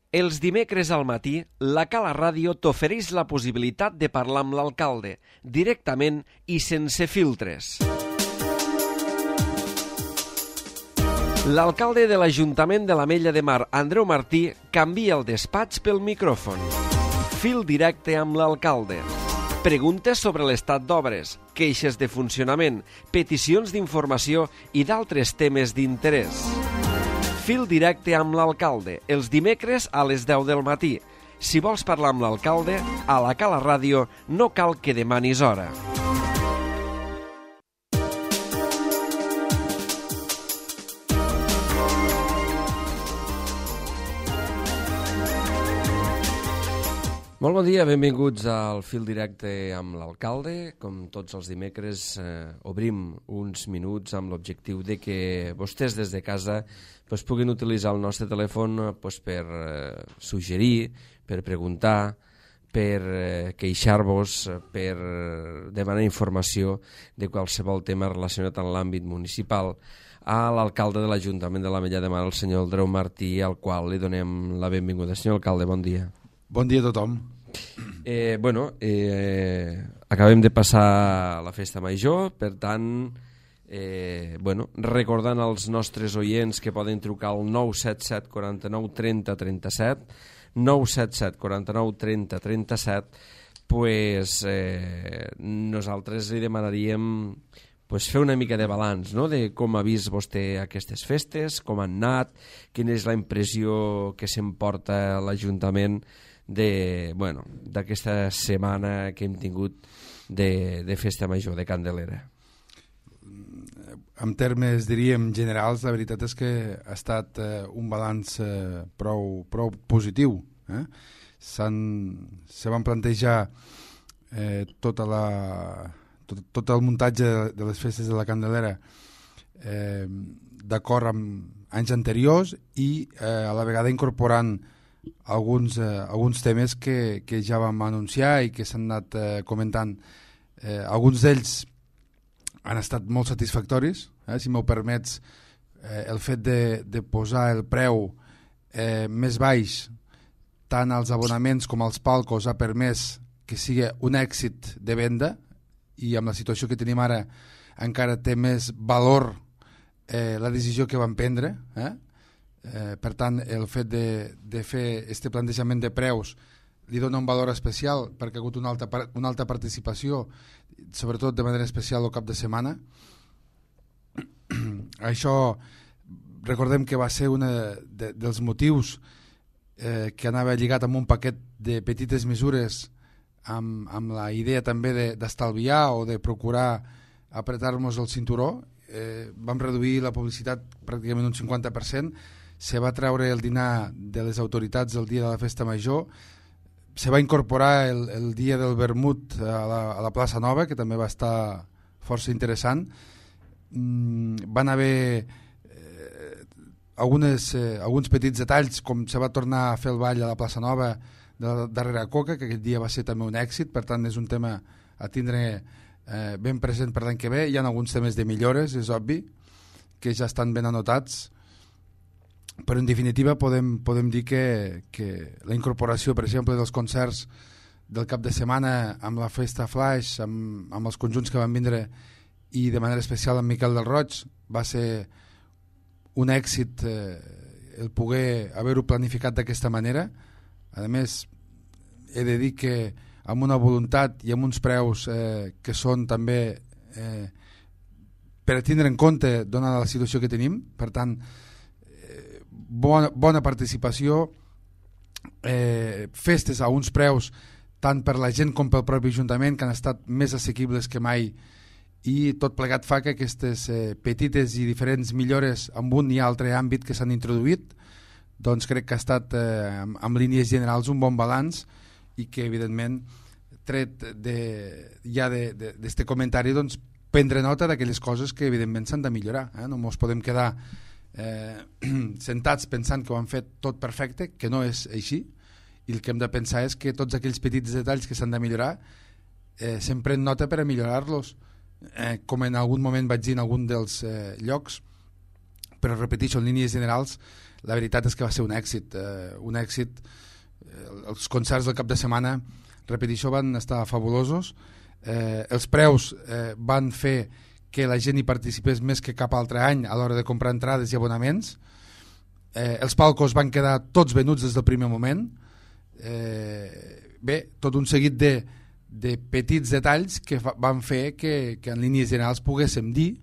Els dimecres al matí, la Cala Ràdio t'ofereix la possibilitat de parlar amb l'alcalde, directament i sense filtres. L'alcalde de l'Ajuntament de l'Ametlla de Mar, Andreu Martí, canvia el despatx pel micròfon. Fil directe amb l'alcalde. Preguntes sobre l'estat d'obres, queixes de funcionament, peticions d'informació i d'altres temes d'interès. Fil directe amb l'alcalde, els dimecres a les 10 del matí. Si vols parlar amb l'alcalde, a la Cala Ràdio no cal que demanis hora. Molt bon dia, benvinguts al Fil Directe amb l'alcalde. Com tots els dimecres, obrim uns minuts amb l'objectiu de que vostès des de casa puguin utilitzar el nostre telèfon per suggerir, per preguntar, per queixar-vos, per demanar informació de qualsevol tema relacionat amb l'àmbit municipal a l'alcalde de l'Ajuntament de l'Ametlla de Mar, el senyor Andreu Martí, al qual li donem la benvinguda. Senyor alcalde, bon dia. Bon dia a tothom. Acabem de passar la festa major, per tant, recordant als nostres oients que poden trucar al 977 49 30 37, 977 49 30 37, nosaltres li demanaríem fer una mica de balanç, no?, de com ha vist vostè aquestes festes, com han anat, quina és la impressió que s'emporta l'Ajuntament d'aquesta setmana que hem tingut de festa major, de Candelera. En termes, diríem, generals, la veritat és que ha estat un balanç prou positiu. Se van plantejar tot el muntatge de les festes de la Candelera d'acord amb anys anteriors i a la vegada incorporant alguns temes que ja vam anunciar i que s'han anat comentant. Alguns d'ells han estat molt satisfactoris. Si m'ho permets, el fet de posar el preu més baix tant als abonaments com als palcos ha permès que sigui un èxit de venda, i amb la situació que tenim ara encara té més valor la decisió que vam prendre. Per tant, el fet de fer aquest plantejament de preus li dona un valor especial perquè ha hagut una alta participació, sobretot de manera especial el cap de setmana. Això recordem que va ser un dels motius que anava lligat amb un paquet de petites mesures amb la idea també d'estalviar o de procurar apretar-nos el cinturó. Vam reduir la publicitat pràcticament un 50%, se va treure el dinar de les autoritats el dia de la festa major, se va incorporar el dia del vermut a la plaça Nova, que també va estar força interessant. Van haver alguns petits detalls, com se va tornar a fer el ball a la plaça Nova darrere Coca, que aquest dia va ser també un èxit. Per tant, és un tema a tindre ben present per l'any que ve. Hi ha alguns temes de millores, és obvi, que ja estan ben anotats, però en definitiva podem dir que la incorporació, per exemple, dels concerts del cap de setmana amb la festa Flash, amb els conjunts que van vindre, i de manera especial amb Miquel del Roig, va ser un èxit el poder haver-ho planificat d'aquesta manera. A més, he de dir que amb una voluntat i amb uns preus que són també per a tindre en compte donada la situació que tenim. Per tant, bona participació, festes a uns preus tant per la gent com pel propi Ajuntament que han estat més assequibles que mai, i tot plegat fa que aquestes petites i diferents millores en un i altre àmbit que s'han introduït, doncs crec que ha estat en línies generals un bon balanç, i que evidentment tret d'este comentari doncs prendre nota d'aquelles coses que evidentment s'han de millorar. No ens podem quedar sentats pensant que ho han fet tot perfecte, que no és així, i el que hem de pensar és que tots aquells petits detalls que s'han de millorar se'n pren nota per a millorar-los, com en algun moment vaig dir en algun dels llocs, però repeteixo, en línies generals la veritat és que va ser un èxit. Els concerts del cap de setmana, repeteixo, van estar fabulosos. Els preus van fer que la gent hi participés més que cap altre any a l'hora de comprar entrades i abonaments. Els palcos van quedar tots venuts des del primer moment. Bé, tot un seguit de petits detalls que van fer que en línies generals poguéssim dir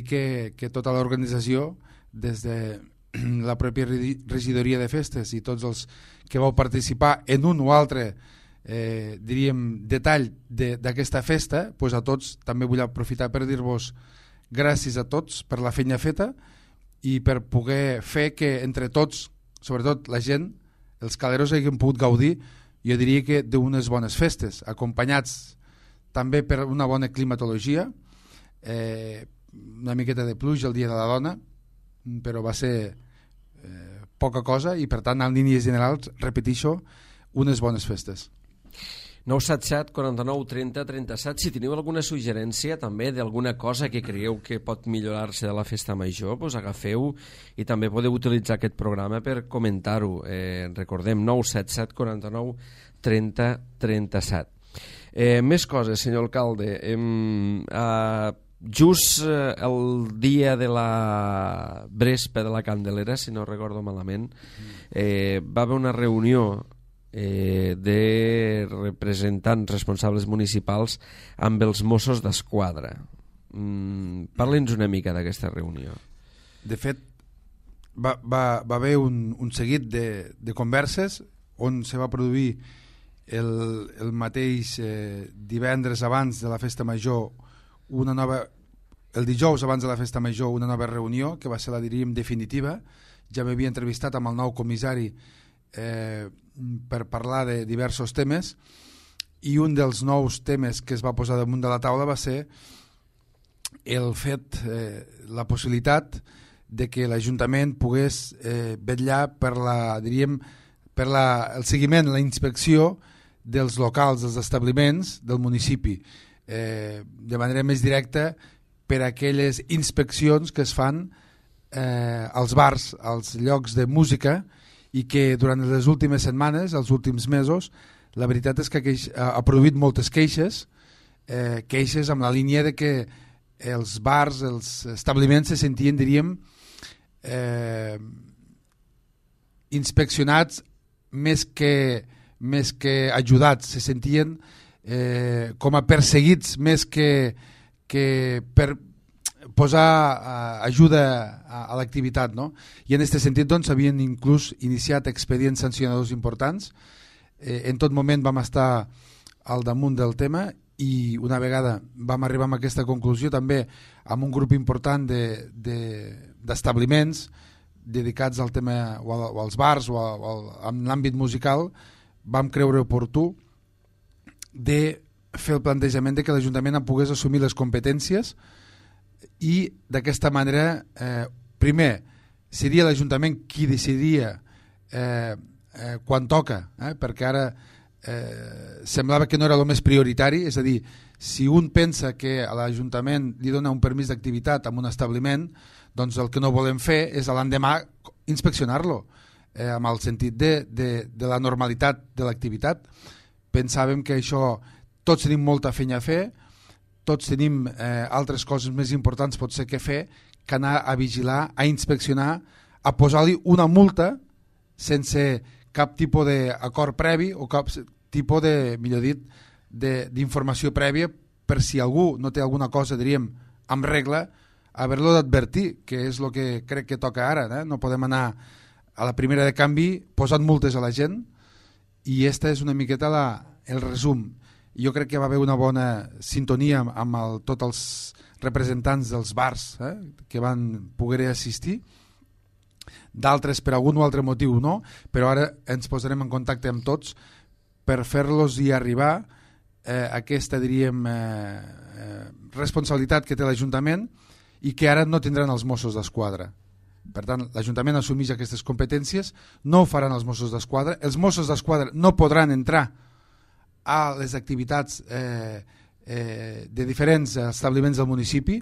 que tota l'organització, des de la pròpia regidoria de festes i tots els que vau participar en un o altre diríem detall d'aquesta festa, doncs a tots també vull aprofitar per dir-vos gràcies a tots per la feina feta i per poder fer que entre tots, sobretot la gent, els caleros hagin pogut gaudir, jo diria que d'unes bones festes, acompanyats també per una bona climatologia, una miqueta de pluja el dia de la dona, però va ser poca cosa i per tant en línies generals, repeteixo, unes bones festes. 977 49 30 37. Si teniu alguna suggerència també d'alguna cosa que creieu que pot millorar-se de la festa major, doncs agafeu i també podeu utilitzar aquest programa per comentar-ho. Recordem, 977 49 30 37. Més coses, senyor alcalde. Just el dia de la Brespa de la Candelera, si no recordo malament, va haver una reunió de representants responsables municipals amb els Mossos d'Esquadra. Parli'ns una mica d'aquesta reunió. De fet, va haver un seguit de converses on se va produir el mateix divendres abans de la festa major el dijous abans de la festa major una nova reunió que va ser la diríem definitiva. Ja m'havia entrevistat amb el nou comissari per parlar de diversos temes i un dels nous temes que es va posar damunt de la taula va ser el fet, la possibilitat de que l'Ajuntament pogués vetllar per el seguiment, la inspecció dels locals, dels establiments del municipi, de manera més directa per aquelles inspeccions que es fan als bars, als llocs de música, i que durant les últimes setmanes, els últims mesos, la veritat és que ha produït moltes queixes amb la línia de que els bars, els establiments se sentien, diríem, inspeccionats més que ajudats, se sentien com a perseguits més que per posar ajuda a l'activitat, no? I en aquest sentit doncs, havien inclús iniciat expedients sancionadors importants. En tot moment vam estar al damunt del tema i una vegada vam arribar a aquesta conclusió també amb un grup important d'establiments dedicats al tema o als bars o en l'àmbit musical, vam creure oportú de fer el plantejament de que l'Ajuntament pogués assumir les competències i d'aquesta manera primer seria l'Ajuntament qui decidiria quan toca, perquè ara semblava que no era el més prioritari, és a dir, si un pensa que a l'Ajuntament li dona un permís d'activitat en un establiment, doncs el que no volem fer és l'endemà inspeccionar-lo amb el sentit de la normalitat de l'activitat. Pensàvem que això tots tenim molta feina a fer, tots tenim altres coses més importants potser que fer que anar a vigilar, a inspeccionar, a posar-li una multa sense cap tipus d'acord previ o cap tipus de, millor dit, d'informació prèvia per si algú no té alguna cosa, diríem, amb regla, haver-lo d'advertir, que és el que crec que toca ara. No podem anar a la primera de canvi posant multes a la gent i aquesta és una miqueta el resum. Jo crec que va haver una bona sintonia amb tots els representants dels bars que van poder assistir, d'altres per algun o altre motiu no, però ara ens posarem en contacte amb tots per fer-los hi arribar aquesta, diríem, responsabilitat que té l'Ajuntament i que ara no tindran els Mossos d'Esquadra. Per tant, l'Ajuntament assumeix aquestes competències, no ho faran els Mossos d'Esquadra, els Mossos d'Esquadra no podran entrar a les activitats de diferents establiments del municipi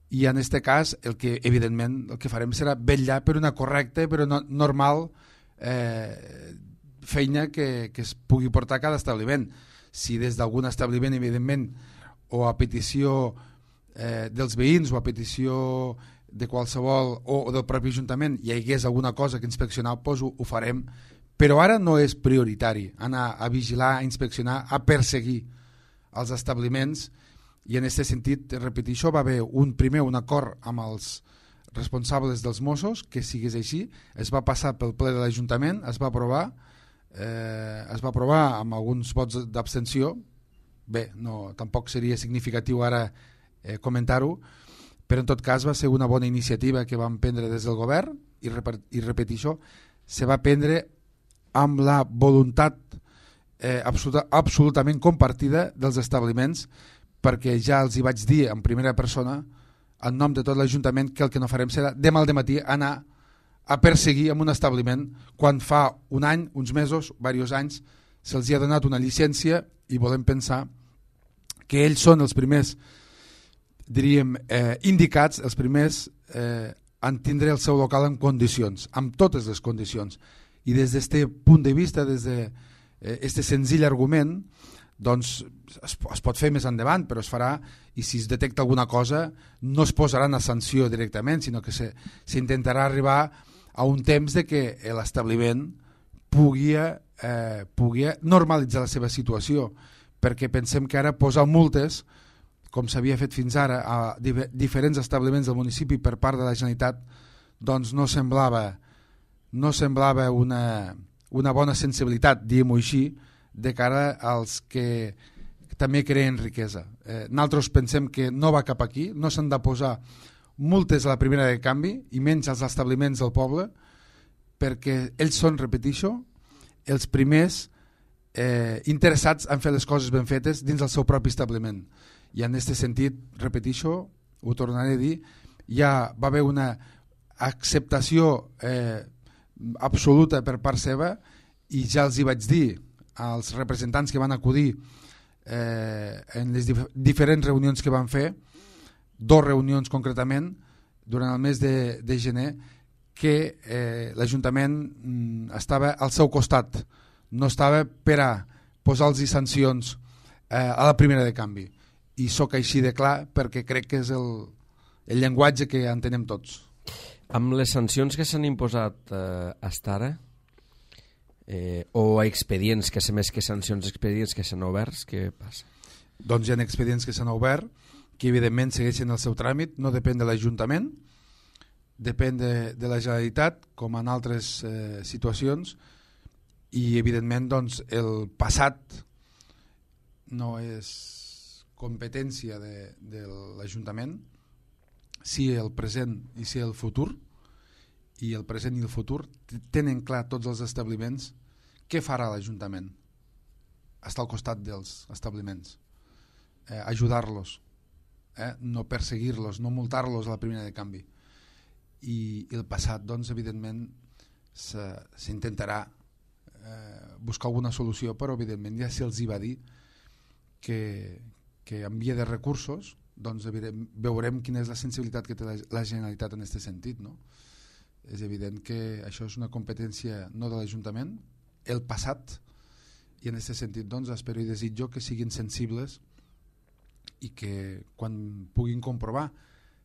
i en aquest cas evidentment el que farem serà vetllar per una correcta però normal feina que es pugui portar a cada establiment. Si des d'algun establiment, evidentment, o a petició dels veïns o a petició de qualsevol o del propi Ajuntament hi hagués alguna cosa que inspeccionar, doncs ho farem, però ara no és prioritari anar a vigilar, a inspeccionar, a perseguir els establiments, i en aquest sentit, repeteixo, va haver un acord amb els responsables dels Mossos que sigués així, es va passar pel ple de l'Ajuntament, es va aprovar amb alguns vots d'abstenció. Bé, no, tampoc seria significatiu ara comentar-ho, però en tot cas va ser una bona iniciativa que vam prendre des del govern i repeteixo, se va prendre amb la voluntat absolutament compartida dels establiments, perquè ja els hi vaig dir en primera persona en nom de tot l'Ajuntament que el que no farem serà demà al dematí anar a perseguir en un establiment quan fa un any, uns mesos, diversos anys se'ls ha donat una llicència i volem pensar que ells són els primers, diríem, indicats, els primers en tindre el seu local en condicions, amb totes les condicions. I des d'aquest punt de vista, des d'aquest senzill argument, doncs es pot fer més endavant, però es farà, i si es detecta alguna cosa no es posarà una sanció directament, sinó que s'intentarà arribar a un temps de que l'establiment pugui normalitzar la seva situació, perquè pensem que ara posar multes, com s'havia fet fins ara a diferents establiments del municipi per part de la Generalitat, doncs no semblava una bona sensibilitat, diguem-ho així, de cara als que també creen riquesa. Nosaltres pensem que no va cap aquí, no s'han de posar multes a la primera de canvi i menys als establiments del poble, perquè ells són, repeteixo, els primers interessats en fer les coses ben fetes dins del seu propi establiment. I en aquest sentit, repeteixo, ho tornaré a dir, ja va haver una acceptació absoluta per part seva, i ja els hi vaig dir als representants que van acudir en les diferents reunions que van fer, 2 reunions concretament durant el mes de gener, que l'Ajuntament estava al seu costat, no estava per a posar-los sancions a la primera de canvi, i sóc així de clar perquè crec que és el llenguatge que entenem tots. Amb les sancions que s'han imposat fins ara, o expedients, que sé més que sancions, expedients que s'han oberts, què passa? Doncs hi ha expedients que s'han obert, que evidentment segueixen el seu tràmit, no depèn de l'Ajuntament, depèn de la Generalitat, com en altres situacions, i evidentment doncs, el passat no és competència de l'Ajuntament, sí el present i sí el futur, i el present i el futur tenen clar tots els establiments què farà l'Ajuntament. Està al costat dels establiments, ajudar-los, no perseguir-los, no multar-los a la primera de canvi. I el passat, doncs, evidentment, s'intentarà buscar alguna solució, però evidentment ja se'ls hi va dir que en via de recursos doncs veurem quina és la sensibilitat que té la Generalitat en aquest sentit, no? És evident que això és una competència no de l'Ajuntament, el passat, i en aquest sentit doncs, espero i desitjo que siguin sensibles i que quan puguin comprovar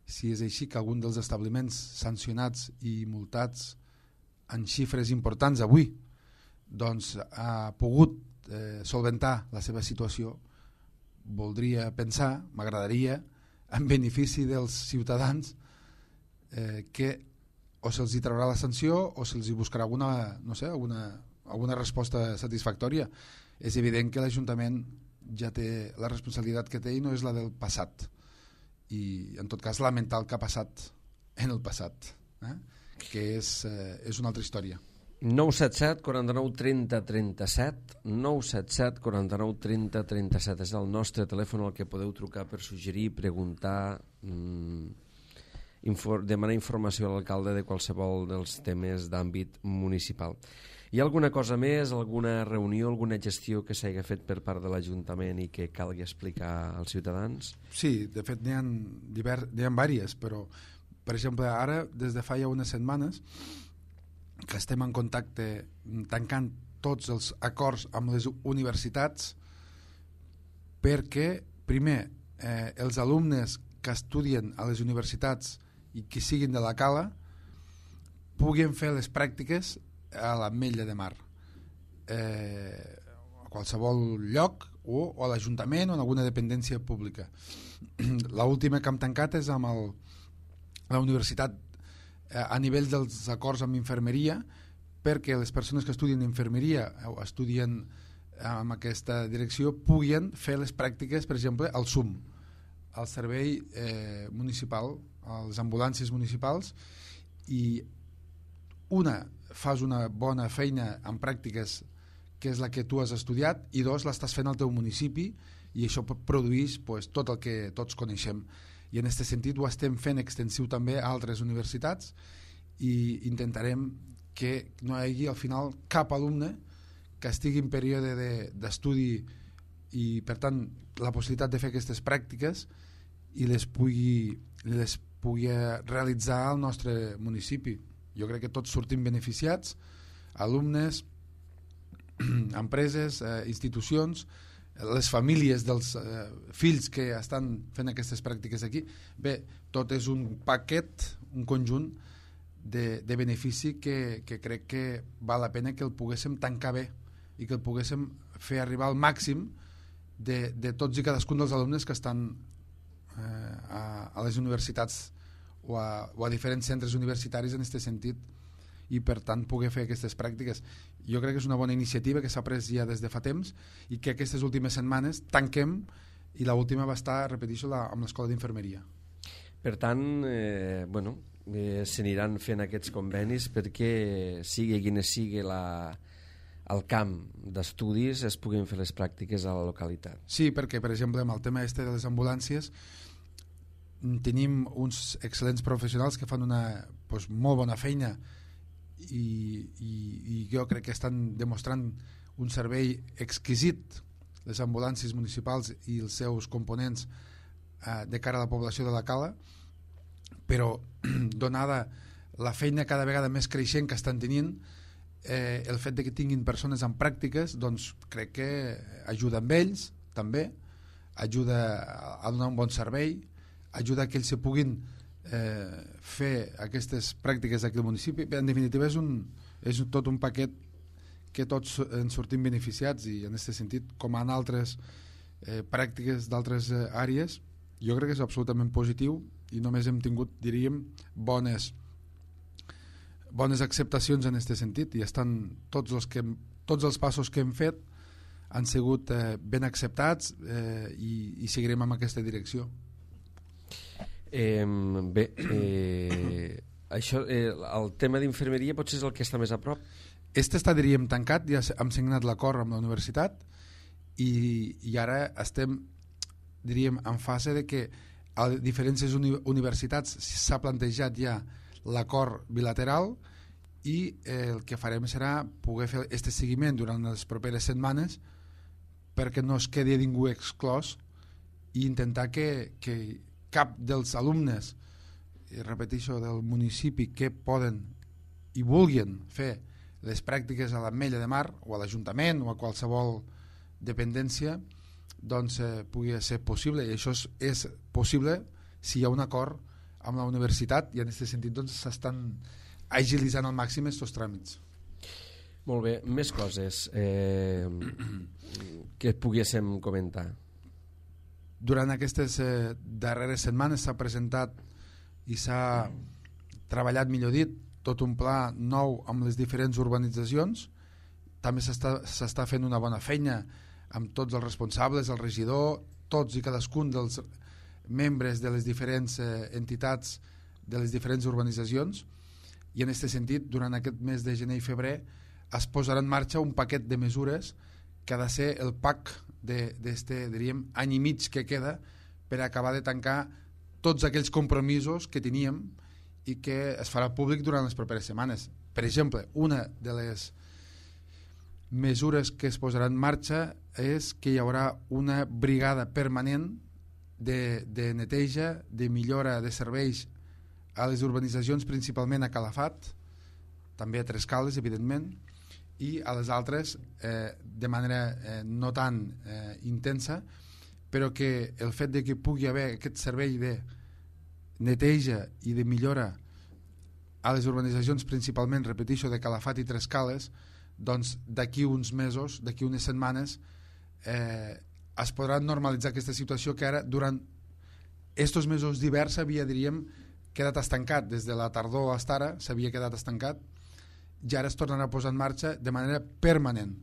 si és així que algun dels establiments sancionats i multats en xifres importants avui doncs, ha pogut solventar la seva situació, voldria pensar, m'agradaria, en benefici dels ciutadans, que o se'ls hi traurà la sanció o se'ls hi buscarà alguna resposta satisfactòria. És evident que l'Ajuntament ja té la responsabilitat que té i no és la del passat, i en tot cas lamentar el que ha passat en el passat, que és una altra història. 977 49 30 37 977 49 30 37 és el nostre telèfon al que podeu trucar per suggerir, preguntar, demanar informació a l'alcalde de qualsevol dels temes d'àmbit municipal. Hi ha alguna cosa més, alguna reunió, alguna gestió que s'hagi fet per part de l'Ajuntament i que calgui explicar als ciutadans? Sí, de fet n'hi ha diverses, però per exemple ara des de fa ja unes setmanes que estem en contacte tancant tots els acords amb les universitats perquè primer els alumnes que estudien a les universitats i que siguin de la Cala puguin fer les pràctiques a l'Ametlla de Mar, a qualsevol lloc o a l'Ajuntament o en alguna dependència pública. L'última que hem tancat és amb la universitat a nivell dels acords amb infermeria, perquè les persones que estudien infermeria o estudien amb aquesta direcció puguin fer les pràctiques, per exemple, al SUM, al servei municipal, a les ambulàncies municipals, i fas una bona feina en pràctiques que és la que tu has estudiat, i dos, l'estàs fent al teu municipi, i això produeix tot el que tots coneixem. I en aquest sentit ho estem fent extensiu també a altres universitats i intentarem que no hi hagi al final cap alumne que estigui en període d'estudi i per tant la possibilitat de fer aquestes pràctiques i les pugui realitzar al nostre municipi. Jo crec que tots sortim beneficiats, alumnes, empreses, institucions, les famílies dels fills que estan fent aquestes pràctiques aquí. Bé, tot és un paquet, un conjunt de benefici que crec que val la pena que el poguéssim tancar bé i que el poguéssim fer arribar al màxim de tots i cadascun dels alumnes que estan a les universitats o a diferents centres universitaris en aquest sentit, i per tant poder fer aquestes pràctiques. Jo crec que és una bona iniciativa que s'ha pres ja des de fa temps i que aquestes últimes setmanes tanquem, i l'última va estar, repeteixo, amb l'escola d'infermeria. Per tant, s'aniran fent aquests convenis perquè sigui quina sigui el camp d'estudis es puguin fer les pràctiques a la localitat. Sí, perquè per exemple amb el tema de les ambulàncies tenim uns excel·lents professionals que fan una molt bona feina i jo crec que estan demostrant un servei exquisit, les ambulàncies municipals i els seus components de cara a la població de la Cala, però donada la feina cada vegada més creixent que estan tenint, el fet de que tinguin persones en pràctiques doncs crec que ajuda amb ells també, ajuda a donar un bon servei, ajuda que ells se puguin fer aquestes pràctiques aquí al municipi. En definitiva és tot un paquet que tots ens sortim beneficiats, i en aquest sentit, com en altres pràctiques d'altres àrees, jo crec que és absolutament positiu i només hem tingut, diríem, bones acceptacions en aquest sentit, i estan tots els passos que hem fet han sigut ben acceptats i seguirem en aquesta direcció. Això, el tema d'infermeria potser és el que està més a prop? Està, diríem, tancat, ja hem signat l'acord amb la universitat i ara estem, diríem, en fase de que a diferents universitats s'ha plantejat ja l'acord bilateral, i el que farem serà poder fer aquest seguiment durant les properes setmanes perquè no es quedi ningú exclòs, i intentar que cap dels alumnes, repeteixo, del municipi que poden i vulguin fer les pràctiques a l'Ametlla de Mar o a l'Ajuntament o a qualsevol dependència doncs pugui ser possible, i això és possible si hi ha un acord amb la universitat, i en aquest sentit doncs s'estan agilitzant al màxim aquests tràmits. Molt bé, més coses que poguéssim comentar. Durant aquestes darreres setmanes s'ha presentat i s'ha treballat, millor dit, tot un pla nou amb les diferents urbanitzacions. També s'està fent una bona feina amb tots els responsables, el regidor, tots i cadascun dels membres de les diferents entitats de les diferents urbanitzacions, i en aquest sentit durant aquest mes de gener i febrer es posarà en marxa un paquet de mesures que ha de ser el PAC diríem, any i mig que queda per acabar de tancar tots aquells compromisos que teníem i que es farà públic durant les properes setmanes. Per exemple, una de les mesures que es posaran en marxa és que hi haurà una brigada permanent de neteja, de millora de serveis a les urbanitzacions, principalment a Calafat, també a Trescales, evidentment, i a les altres de manera no tan intensa, però que el fet de que pugui haver aquest servei de neteja i de millora a les urbanitzacions, principalment, repeteixo, de Calafat i Trescales, doncs d'aquí uns mesos, d'aquí unes setmanes, es podrà normalitzar aquesta situació que ara, durant estos mesos d'hivern, s'havia, diríem, quedat estancat. Des de la tardor fins ara s'havia quedat estancat, i ara es tornarà a posar en marxa de manera permanent.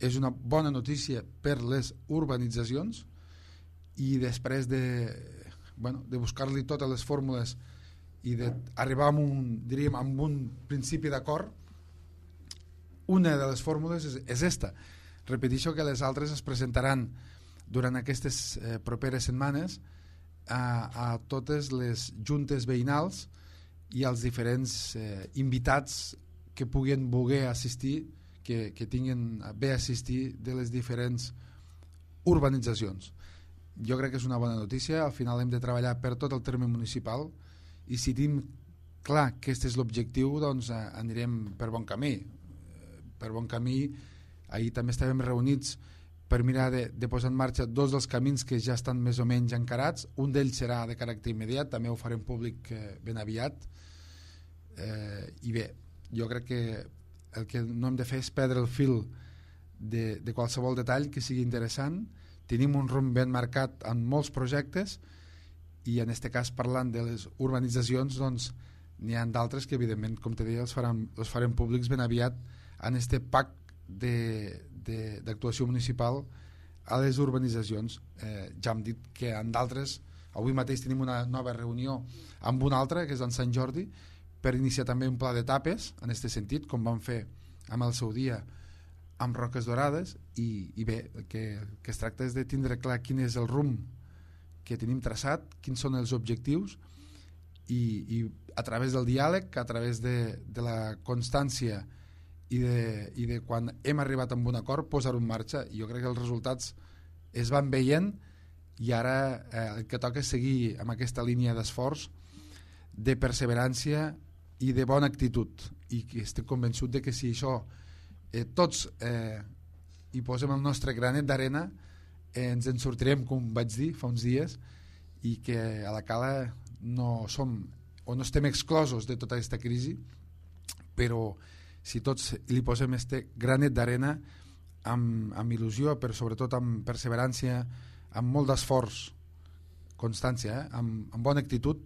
És una bona notícia per les urbanitzacions, i després de buscar-li totes les fórmules i d'arribar amb un principi d'acord, una de les fórmules és esta. Repeteixo que les altres es presentaran durant aquestes properes setmanes a totes les juntes veïnals i als diferents invitats que puguin voler assistir, que tinguin bé assistir de les diferents urbanitzacions. Jo crec que és una bona notícia. Al final hem de treballar per tot el terme municipal, i si tenim clar que aquest és l'objectiu, doncs anirem per bon camí. Per bon camí. Ahir també estàvem reunits per mirar de posar en marxa dos dels camins que ja estan més o menys encarats. Un d'ells serà de caràcter immediat, també ho farem públic ben aviat. I bé, jo crec que el que no hem de fer és perdre el fil de qualsevol detall que sigui interessant. Tenim un rumb ben marcat en molts projectes, i en aquest cas, parlant de les urbanitzacions, doncs n'hi ha d'altres que evidentment, com te deia, els farem públics ben aviat en aquest pacte d'actuació municipal a les urbanitzacions. Ja hem dit que en d'altres, avui mateix tenim una nova reunió amb una altra, que és en Sant Jordi, per iniciar també un pla d'etapes en aquest sentit, com vam fer amb el seu dia amb Roques Dorades, i bé, que es tracta és de tindre clar quin és el rumb que tenim traçat, quins són els objectius, i a través del diàleg, a través de la constància i de quan hem arribat a un acord, posar-ho en marxa. Jo crec que els resultats es van veient, i ara el que toca és seguir amb aquesta línia d'esforç, de perseverància i de bona actitud, i que estic convençut de que si això tots hi posem el nostre granet d'arena, ens en sortirem, com vaig dir fa uns dies, i que a la Cala no som o no estem exclosos de tota aquesta crisi, però si tots li posem este granet d'arena amb il·lusió, però sobretot amb perseverància, amb molt d'esforç, constància, amb bona actitud,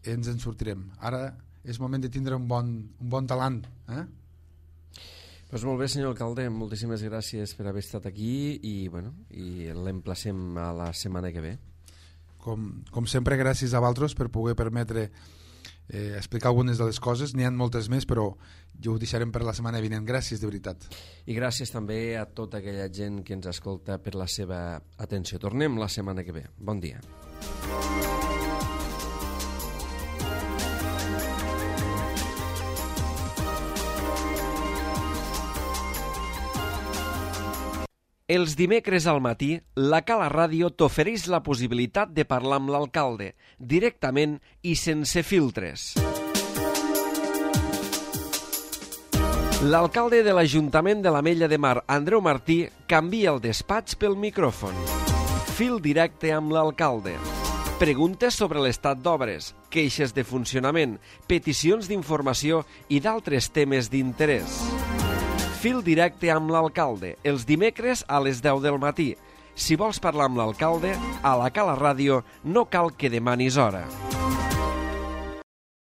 ens en sortirem. Ara és moment de tindre un bon talant. Pues molt bé, senyor alcalde, moltíssimes gràcies per haver estat aquí, i l'emplacem a la setmana que ve. Com sempre, gràcies a vosaltres per poder permetre explicar algunes de les coses. N'hi ha moltes més, però jo ho deixarem per la setmana vinent. Gràcies, de veritat. I gràcies també a tota aquella gent que ens escolta per la seva atenció. Tornem la setmana que ve. Bon dia. Els dimecres al matí, la Cala Ràdio t'ofereix la possibilitat de parlar amb l'alcalde, directament i sense filtres. L'alcalde de l'Ajuntament de l'Ametlla de Mar, Andreu Martí, canvia el despatx pel micròfon. Fil directe amb l'alcalde. Preguntes sobre l'estat d'obres, queixes de funcionament, peticions d'informació i d'altres temes d'interès. Fil directe amb l'alcalde, els dimecres a les 10 del matí. Si vols parlar amb l'alcalde, a la Cala Ràdio no cal que demanis hora.